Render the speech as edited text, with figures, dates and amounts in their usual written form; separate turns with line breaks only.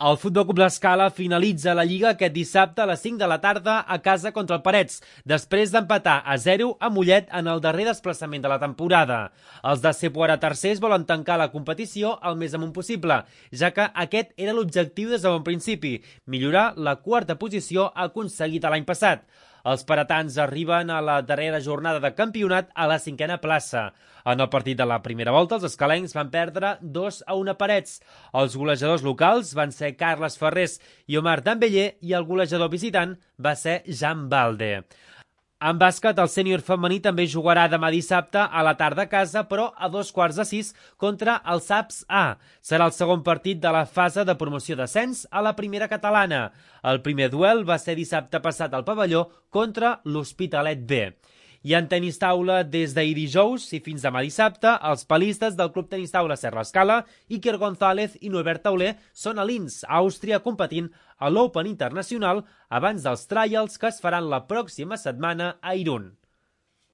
El Futbol Club L'Escala finalitza la Lliga aquest dissabte a les 5 de la tarda a casa contra el Parets, després d'empatar a 0 a Mollet en el darrer desplaçament de la temporada. Els de ser ara tercers volen tancar la competició el més amunt possible, ja que aquest era l'objectiu des de bon principi, millorar la quarta posició aconseguida l'any passat. Els paratans arriben a la darrera jornada de campionat a la 5a plaça. En el partit de la primera volta, els escalencs van perdre 2-1 a Parets. Els golejadors locals van ser Carles Ferrés i Omar Dembélé i el golejador visitant va ser Jan Balde. En bàsquet, el sènior femení també jugarà demà dissabte a la tarda a casa, però a 5:15 contra el SAPS A. Serà el segon partit de la fase de promoció d'ascens a la primera catalana. El primer duel va ser dissabte passat al pavelló contra l'Hospitalet B. I en tenis taula, des d'ahir dijous i fins demà dissabte, els palistes del Club Tenis Taula Serra Escala, Iker González i Norbert Tauler són a Linz, Àustria, competint a l'Open Internacional abans dels trials que es faran la pròxima setmana a Irún.